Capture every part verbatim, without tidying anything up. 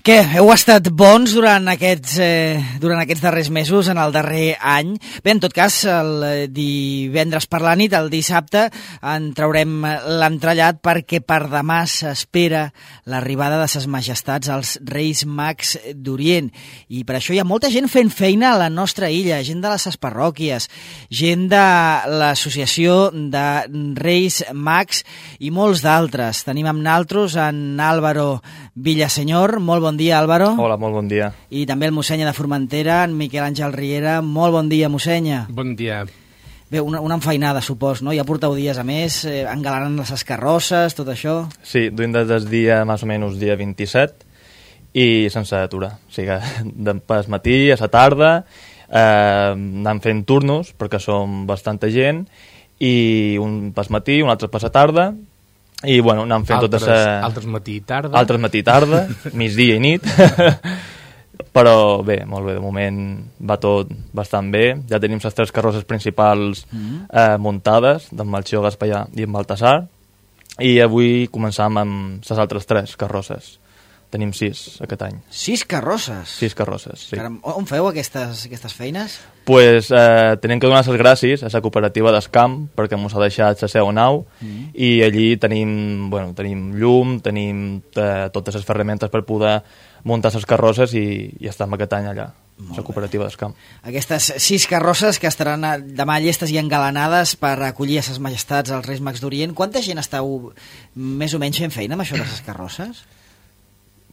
Què, heu estat bons durant aquests, eh, durant aquests darrers mesos, en el darrer any? Bé, en tot cas, el divendres per la nit, el dissabte, en traurem l'entrellat perquè per demà s'espera l'arribada de ses majestats als Reis Mags d'Orient. I per això hi ha molta gent fent feina a la nostra illa, gent de les ses parròquies, gent de l'Associació de Reis Mags i molts d'altres. Tenim amb naltros en Álvaro Villaseñor. Molt bon dia, Álvaro. Hola, molt bon dia. I també el mossènyer de Formentera, en Miquel Àngel Riera. Molt bon dia, mossènyer. Bon dia. Bé, una, una enfeinada, supos, no? Ja porteu dies a més, eh, engalanant les carrosses, tot això. Sí, duim des del dia, més o menys, dia vint-i-set, i sense aturar. O sigui, de pas matí a la tarda, eh, anem fent turnos, perquè som bastanta gent, i un pas matí, un altre pas a tarda, i bueno, anem fent altres, tota sa... altres matí i tarda. Altres matí i tarda, migdia i nit. Però bé, molt bé, de moment va tot bastant bé. Ja tenim les tres carrosses principals mm. eh, muntades, d'en Melchior, Gaspallà i en Baltasar, i avui començam amb les altres tres carrosses. Tenim sis aquest any. Sis carrosses? Sis carrosses, sí. Caram, on feu aquestes, aquestes feines? Pues eh, tenim que donar les gràcies a la cooperativa d'Escamp perquè ens ha deixat la seva nau mm. i allí tenim, bueno, tenim llum, tenim eh, totes les ferramentes per poder muntar les carrosses i, i estem aquest any allà, la cooperativa d'Escamp. Aquestes sis carrosses que estaran demà llestes i engalanades per acollir a ses majestats als Reis Mags d'Orient. Quanta gent esteu més o menys fent feina amb això de les carrosses?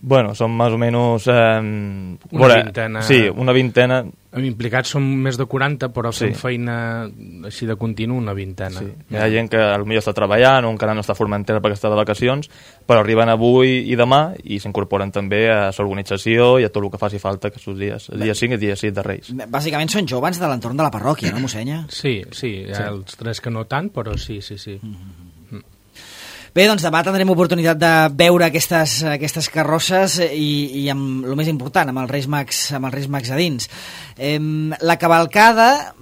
Bueno, són més o menys... Eh, una veure, vintena. Sí, una vintena. Implicats són més de quaranta, però sí. fent feina així de continu una vintena. Sí. Hi ha gent que potser està treballant o encara no està a Formentera perquè està de vacacions, però arriben avui i demà i s'incorporen també a l'organització i a tot el que faci falta aquests dies, el dia cinc i el dia sis de Reis. Bàsicament són joves de l'entorn de la parròquia, no, mossènyer? Sí, sí, hi ha sí. els tres que no tant, però sí, sí, sí. Mm-hmm. Bé, doncs demà tindrem oportunitat de veure aquestes, aquestes carrosses i, i amb el més important, amb els Reis Mags, amb els Reis Mags a dins. Eh, la cavalcada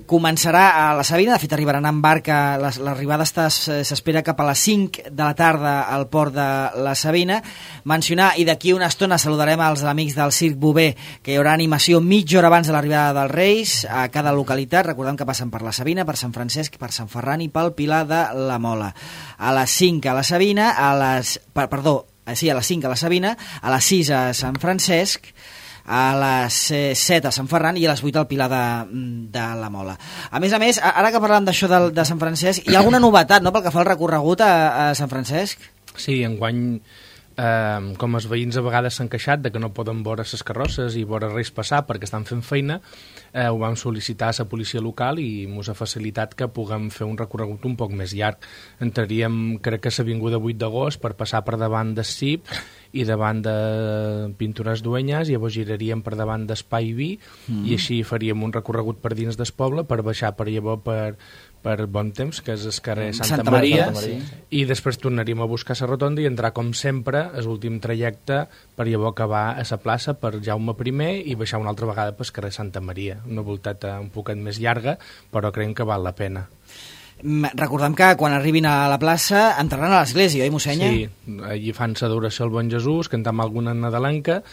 començarà a la Sabina, de fet arribaran en barca, l'arribada s'espera cap a les cinc de la tarda al port de la Sabina. Mencionar, i d'aquí una estona saludarem als amics del Circ Bover, que hi haurà animació mitja hora abans de l'arribada dels Reis a cada localitat. Recordem que passen per la Sabina, per Sant Francesc, per Sant Ferran i pel Pilar de la Mola. A les cinc a la Sabina, a les, perdó, sí, a les cinc a la Sabina, a les sis a Sant Francesc, a les set a Sant Ferran i a les vuit al Pilar de, de la Mola. A més a més, ara que parlem d'això de, de Sant Francesc, hi ha alguna novetat, no?, pel que fa al recorregut a, a Sant Francesc? Sí, enguany, eh, com els veïns a vegades s'han queixat de que no poden veure les carrosses i veure res passar perquè estan fent feina, eh, ho vam sol·licitar a la policia local i ens ha facilitat que puguem fer un recorregut un poc més llarg. Entraríem, crec que a l'avinguda vuit d'agost, per passar per davant del C I P i davant de Pintures Duenyes, i llavors giraríem per davant d'Espai Vi mm. i així faríem un recorregut per dins del poble per baixar per llavors per, per Bon Temps, que és el carrer Santa, Santa Maria, Maria, sí. I després tornaríem a buscar la rotonda i entrar, com sempre, l'últim trajecte per llavors acabar a la plaça per Jaume primer i baixar una altra vegada pel carrer Santa Maria. Una voltata un poquet més llarga, però creiem que val la pena. Recordem que quan arribin a la plaça entraran a l'església, oi, mossènyer? Sí, allí fan l'adoració al Bon Jesús, cantam alguna nadalenca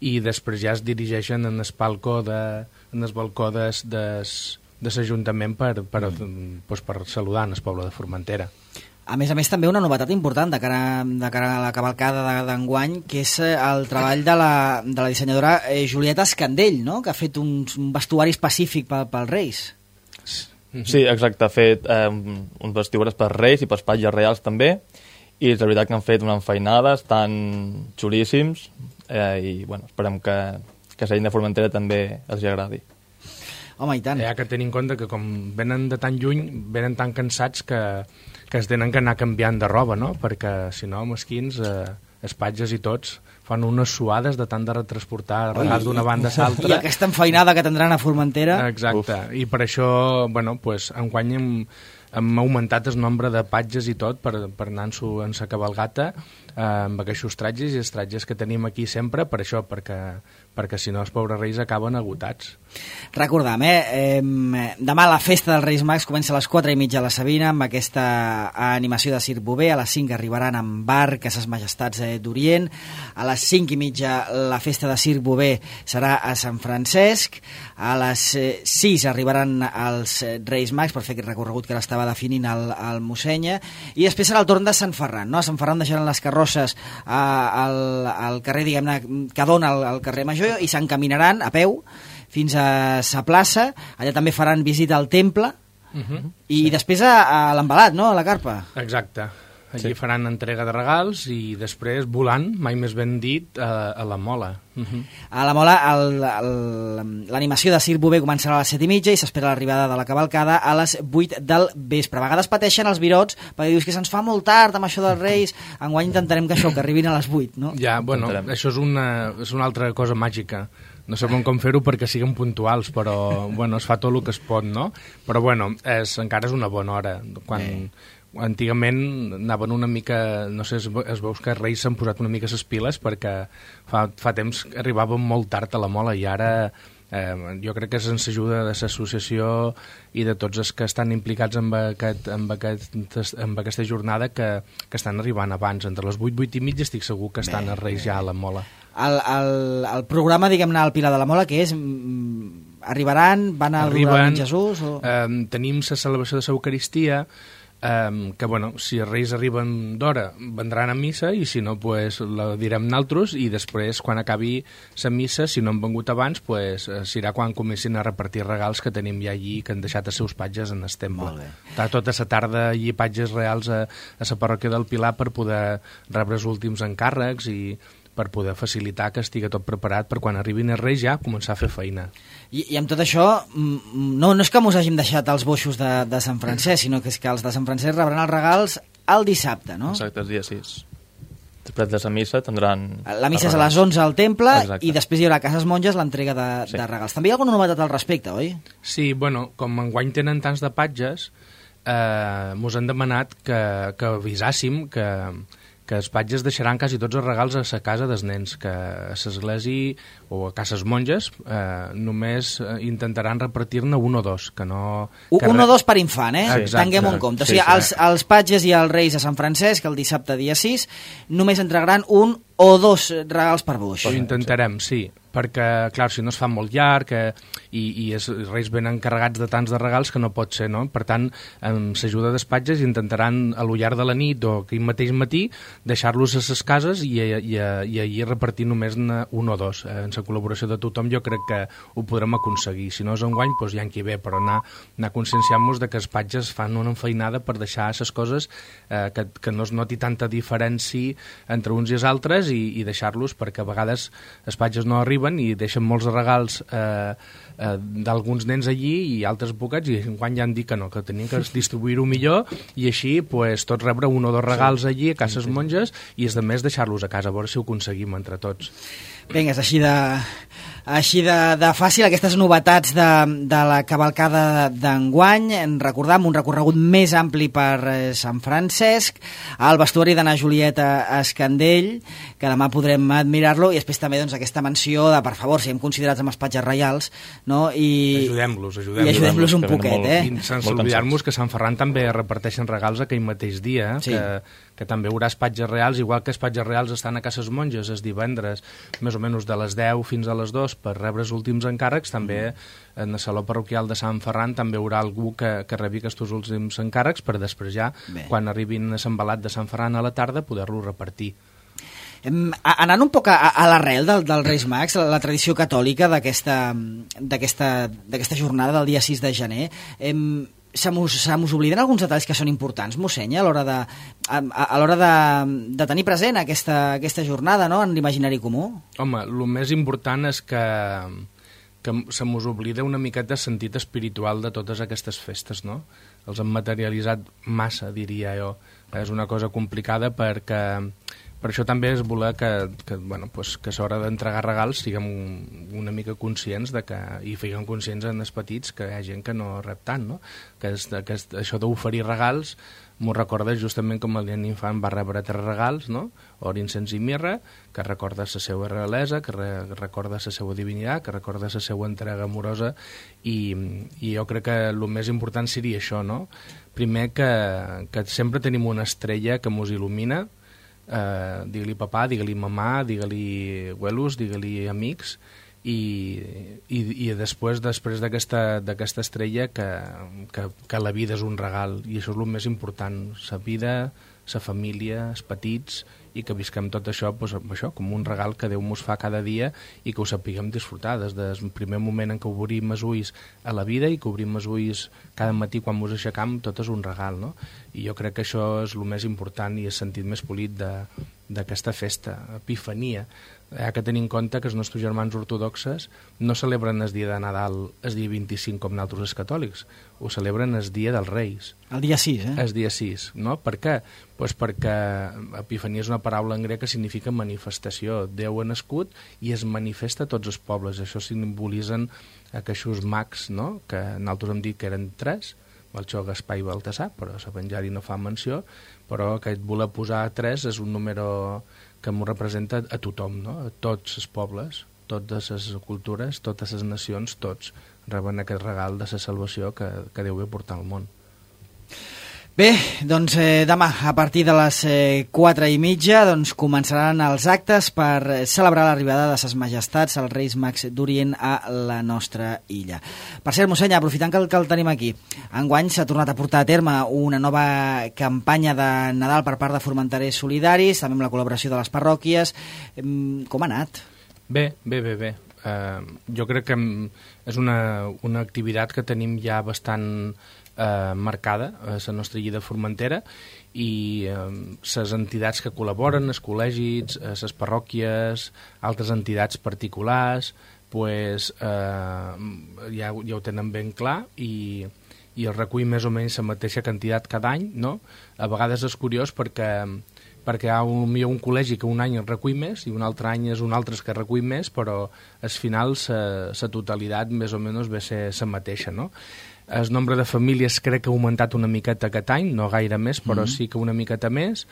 i després ja es dirigeixen en el balcó de, en el balcó des, des, de l'Ajuntament per, per, mm. pues, per saludar el poble de Formentera. A més a més, també una novetat important de cara, de cara a la cavalcada d'enguany, que és el treball de la, de la dissenyadora Julieta Escandell, no?, que ha fet un, un vestuari específic pel, pels Reis. Sí, exacte, ha fet eh, uns vestidures per Reis i per espatlles reals també, i és la veritat que han fet unes feinades tan xulíssims eh, i bueno, esperem que, que la gent de Formentera també els hi agradi. Home, i tant. Hi ha que tenir en compte que com venen de tan lluny, venen tan cansats que, que es tenen que anar canviant de roba, no? Perquè si no, mesquins, eh, espatges i tots fan unes suades de tant de retransportar regals d'una banda a l'altra. I aquesta enfeinada que tindran a Formentera. Exacte, uf. I per això, bueno, pues, enguany hem, hem augmentat el nombre de patges i tot per, per anar-s'ho en sa cabalgata eh, amb aquests tratges i els tratges que tenim aquí sempre, per això, perquè, perquè si no els pobres reis acaben agotats. Recordam, eh? eh demà la festa dels Reis Mags comença a les quatre i mitja a la Sabina amb aquesta animació de Circ Bover. A les cinc arribaran amb barc a ses majestats eh, d'Orient. A les cinc i mitja la festa de Circ Bover serà a Sant Francesc. A les eh, sis arribaran els Reis Mags per fer aquest recorregut que l'estava definint el, el mossenya, i després serà el torn de Sant Ferran, no? A Sant Ferran deixaran les carrosses a, al, al carrer, diguem-ne, que dona al, al carrer Major, i s'encaminaran a peu fins a sa plaça. Allà també faran visita al temple, uh-huh. i sí. després a, a l'embalat, no?, a la carpa. Exacte. Allí Sí. faran entrega de regals i després volant, mai més ben dit, a, a la Mola. Uh-huh. A la Mola l'animació de Circ Bover començarà a les set i mitja i s'espera l'arribada de la cavalcada a les vuit del vespre. A vegades pateixen els virots perquè dius que se'ns fa molt tard amb això dels Reis. Enguany intentarem que això, que arribin a les vuit, no? Ja, bueno, Intentarem. això és una, és una altra cosa màgica. No sabem com fer-ho perquè siguin puntuals, però bueno, es fa tot el que es pot, no? Però bueno, és, encara és una bona hora. Quan, eh. Antigament anaven una mica, no sé, es, es veus que els Reis s'han posat una mica les piles perquè fa, fa temps que arribaven molt tard a la Mola i ara eh, jo crec que sense ajuda de l'associació i de tots els que estan implicats en, aquest, en, aquest, en aquesta jornada que, que estan arribant abans. Entre les vuit, vuit i mitja estic segur que estan els Reis ja a la Mola. El, el, el programa, diguem-ne, al Pilar de la Mola, que és... Mm, arribaran, van a adorar en Jesús? O... Eh, tenim la celebració de l'Eucaristia, Um, que bueno, si els Reis arriben d'hora vendran a missa i si no pues, la direm naltros i després quan acabi la missa, si no han vengut abans pues, serà quan comencin a repartir regals que tenim ja allí, que han deixat els seus patges en el temple. Està tota la tarda allí patges reals a, a la parròquia del Pilar per poder rebre els últims encàrrecs i per poder facilitar que estigui tot preparat per quan arribin els Reis ja començar a fer feina. I, i amb tot això, no, no és que mos hàgim deixat els boixos de, de Sant Francesc, sinó que és que els de Sant Francesc rebran els regals el dissabte, no? Exacte, el dia sis. Després de la missa tindran... La missa és a les onze al temple. Exacte. I després hi haurà a Cases Monges l'entrega de, sí. de regals. També hi ha alguna novetat al respecte, oi? Sí, bueno, com enguany tenen tants de patges, eh, mos han demanat que, que avisàssim que... que els patges deixaran quasi tots els regals a la casa dels nens, que a l'església o a cases monges eh, només intentaran repartir-ne un o dos, que no... Que un re... o dos per infant, eh? Sí, Tinguem en compte. Sí, o sigui, sí. els, els patges i els reis a Sant Francesc, el dissabte dia sis, només entregaran un o dos regals per boix. Ho intentarem, sí, perquè, clar, si no es fa molt llarg eh, i, i els reis venen carregats de tants de regals que no pot ser, no? Per tant, amb l'ajuda dels patges intentaran a lo llarg de la nit o aquell mateix matí deixar-los a les cases i, i, i allí repartir només un o dos. Eh, en la col·laboració de tothom jo crec que ho podrem aconseguir. Si no és enguany, doncs ja en qui ve, però anar, anar conscienciant-nos de que els patges fan una enfeinada per deixar les coses eh, que, que no es noti tanta diferència entre uns i els altres i, i deixar-los, perquè a vegades els patges no arriben i deixen molts regals eh, eh, d'alguns nens allí i altres bocats i enguany ja han dit que no, que tenien que distribuir-ho millor i així pues, tots rebre un o dos regals allí a cases monges i els de més deixar-los a casa, a veure si ho aconseguim entre tots. Vinga, és així de, així de, de fàcil aquestes novetats de, de la cavalcada d'enguany. Recordam un recorregut més ampli per eh, Sant Francesc, al vestuari d'Anna Julieta Escandell, que demà podrem admirar-lo, i després també doncs, aquesta menció de, per favor, siguem considerats amb els patges reials, no? I ajudem-los, ajudem-los. I ajudem-los un poquet, molt, eh? I sense oblidar-nos que Sant Ferran també reparteixen regals aquell mateix dia, sí. que, que també hi haurà patges reals, igual que els patges reals estan a Cases Monges els divendres, més o menys de les deu fins a les dues per rebre els últims encàrrecs, també en el saló parroquial de Sant Ferran també hi haurà algú que, que rebi aquests últims encàrrecs per després ja, Bé. quan arribin a l'embalat de Sant Ferran a la tarda, poder-lo repartir. Em, anant un poc a, a l'arrel del, del Reis Mags, la, la tradició catòlica d'aquesta d'aquesta jornada del dia sis de gener, em, se mos, se mos obliden alguns detalls que són importants, mossèn, a l'hora de, a, a l'hora de, de tenir present aquesta, aquesta jornada, no?, en l'imaginari comú? Home, el més important és que, que se mos oblida una miqueta el sentit espiritual de totes aquestes festes, no? Els han materialitzat massa, diria jo. És una cosa complicada perquè Per això també és voler que, que, bueno, pues, que a l'hora d'entregar regals siguem una mica conscients de que, i figuem conscients en els petits que hi ha gent que no rep tant, no? Que, és, que és, això d'oferir regals m'ho recorda justament com el nen infant va rebre tres regals, no? Or, incens i mirra, que recorda la seva realesa, que re, recorda la seva divinitat, que recorda la seva entrega amorosa, i, i jo crec que el més important seria això, no? Primer que, que sempre tenim una estrella que mos il·lumina, eh, digue-li papà, digue-li mamà, digue-li abuelos, digue-li amics, i, i, i després després d'aquesta d'aquesta estrella que, que, que la vida és un regal, i això és el més important, la vida, la família, els petits, i que visquem tot això, doncs, això com un regal que Déu mos fa cada dia i que ho sapiguem disfrutar des del primer moment en què obrim els ulls a la vida i que obrim els ulls cada matí quan mos aixecam, tot és un regal, no? I jo crec que això és el més important i el sentit més polit d'aquesta festa, Epifania. Hi ha que tenir en compte que els nostres germans ortodoxes no celebren el dia de Nadal el dia vint-i-cinc com nosaltres els catòlics, ho celebren el dia dels Reis. El dia sis, eh? El dia sis, no? Per què? Pues perquè Epifania és una paraula en grec que significa manifestació. Déu ha nascut i es manifesta a tots els pobles. Això simbolitzen aquests mags, no? Que nosaltres hem dit que eren tres, Melchor, Gaspar i Baltasar, però l'Evangeli no fa menció, però aquest voler posar tres és un número que m'ho representa a tothom, no? A tots els pobles, totes les cultures, totes les nacions, tots reben aquest regal de la salvació que, que Déu ve portar al món. Bé, doncs eh, demà a partir de les eh, quatre i mitja doncs, començaran els actes per celebrar l'arribada de ses majestats, els Reis Mags d'Orient, a la nostra illa. Per cert, mossèn, aprofitant que el, que el tenim aquí, enguany s'ha tornat a portar a terme una nova campanya de Nadal per part de Formenterers Solidaris, també amb la col·laboració de les parròquies. Com ha anat? Bé, bé, bé, bé. Uh, jo crec que és una, una activitat que tenim ja bastant Eh, marcada a la nostra illa de Formentera, i les eh, entitats que col·laboren, els col·legis, les parròquies, altres entitats particulars, pues, eh, ja, ja ho tenen ben clar, i, i el recull més o menys la mateixa quantitat cada any, no? A vegades és curiós perquè perquè hi ha un, hi ha un col·legi que un any el recull més i un altre any és un altre que recull més, però al final la totalitat més o menys ve ser la mateixa, no? El nombre de famílies crec que ha augmentat una miqueta aquest any, no gaire més, però mm-hmm. sí que una miqueta més,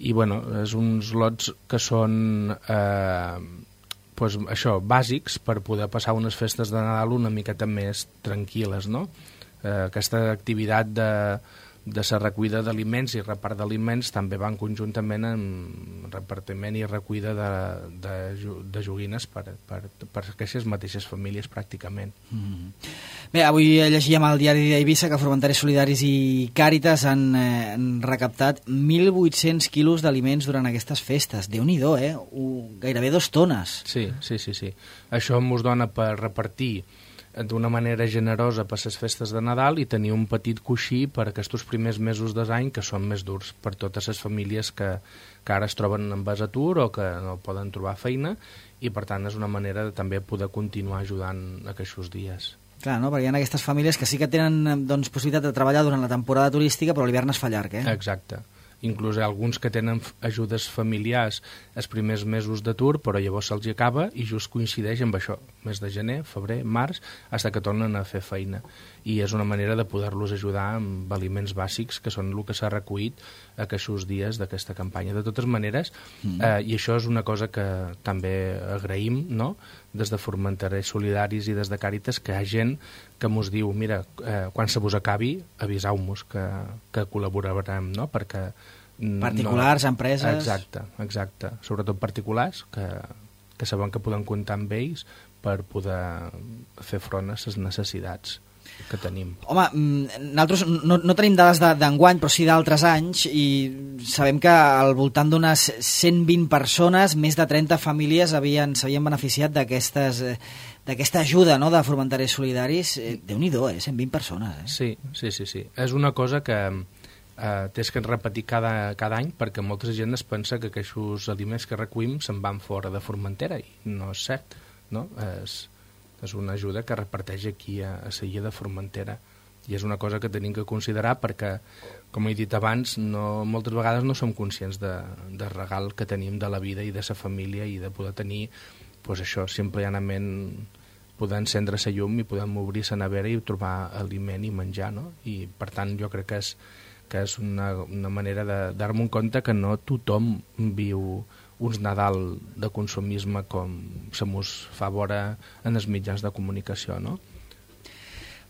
i bueno, és uns lots que són eh, pues, això, bàsics per poder passar unes festes de Nadal una miqueta més tranquil·les, no? Eh, aquesta activitat de de la recollida d'aliments i repart d'aliments també van conjuntament amb repartiment i recollida de, de, de joguines per, per, per aquestes mateixes famílies pràcticament. Mm. Bé, avui llegíem al diari d'Eivissa que Formenterers Solidaris i Càritas han, eh, han recaptat mil vuit-cents quilos d'aliments durant aquestes festes. Déu-n'hi-do, eh? Uh, gairebé dos tones. Sí, sí, sí, sí. Això ens dona per repartir d'una manera generosa per les festes de Nadal i tenir un petit coixí per aquests primers mesos de l'any que són més durs per totes les famílies que, que ara es troben en base atur o que no poden trobar feina, i per tant és una manera de també poder continuar ajudant aquests dies. Clar, no? Perquè hi ha aquestes famílies que sí que tenen doncs, possibilitat de treballar durant la temporada turística, però l'hivern es fa llarg, eh? Exacte. Inclús alguns que tenen ajudes familiars els primers mesos d'atur, però llavors se'ls acaba i just coincideix amb això, mes de gener, febrer, març, fins que tornen a fer feina. I és una manera de poder-los ajudar amb aliments bàsics, que són el que s'ha recollit aquests dies d'aquesta campanya. De totes maneres, mm. eh, i això és una cosa que també agraïm, no?, des de Formenterers Solidaris i des de Càritas, que hi ha gent que mos diu, mira, eh, quan se vos acabi, aviseu-nos que, que col·laborarem, no?, perquè... Particulars, no... empreses... Exacte, exacte. Sobretot particulars, que, que saben que poden comptar amb ells per poder fer front a les necessitats que tenim. Home, nosaltres no, no tenim dades d'enguany, però sí d'altres anys, i sabem que al voltant d'unes cent vint persones, més de trenta famílies s'havien beneficiat d'aquesta ajuda, no?, de Formenterers Solidaris. Déu-n'hi-do, eh? cent vint persones. Eh? Sí, sí, sí, sí. És una cosa que eh, tens que repetir cada, cada any, perquè molta gent es pensa que aquests aliments que recollim se'n van fora de Formentera, i no és cert, no? És... és una ajuda que reparteix aquí a, a la illa de Formentera. I és una cosa que tenim que considerar perquè, com he dit abans, no, moltes vegades no som conscients de, de regal que tenim de la vida i de sa família i de poder tenir, pues això, simplement poder encendre sa llum i poder obrir sa nevera i trobar aliment i menjar, no? I per tant jo crec que és, que és una, una manera de dar-me un compte que no tothom viu uns Nadal de consumisme com se mos fa vora en els mitjans de comunicació, no?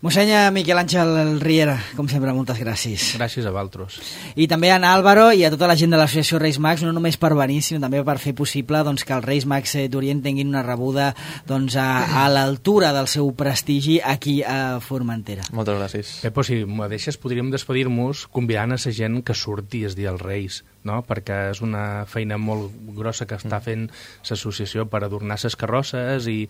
Mossèn Miquel Àngel Riera, com sempre, moltes gràcies. Gràcies a vosaltres. I també a Álvaro i a tota la gent de l'associació Reis Mags, no només per venir, sinó també per fer possible doncs, que els Reis Mags d'Orient tinguin una rebuda doncs, a, a l'altura del seu prestigi aquí a Formentera. Moltes gràcies. Pepo, si m'ho deixes, podríem despedir-nos convidant a la gent que surti el dia dels Reis, no? Perquè és una feina molt grossa que està fent l'associació per adornar les carrosses i,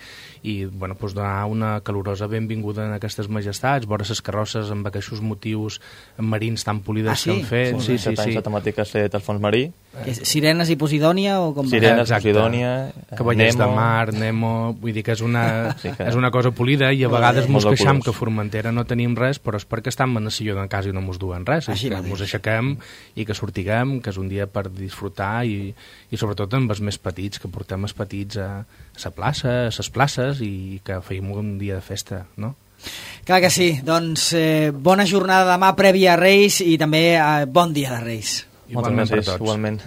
i bueno, doncs donar una calorosa benvinguda en aquestes majestats, vora les carrosses amb aquests motius marins tan polides ah, sí? que han fet. Sí, sí, sí, sí. La temàtica és el fons marí. És Sirenes i Posidònia? O com Sirenes, Posidònia, Cavallers Nemo... de mar, Nemo... Vull dir que és una, sí que... és una cosa polida i a vegades mos queixam que a Formentera no tenim res, però és perquè estem en el silló de casa i no mos duen res. Així que mos aixequem i que sortiguem, que és un dia per disfrutar i, i sobretot amb els més petits, que portem els petits a la plaça, a les places i que feim un dia de festa, no? Clar que sí. Doncs eh, bona jornada demà prèvia a Reis i també eh, bon dia de Reis. Moltes gràcies, igualment.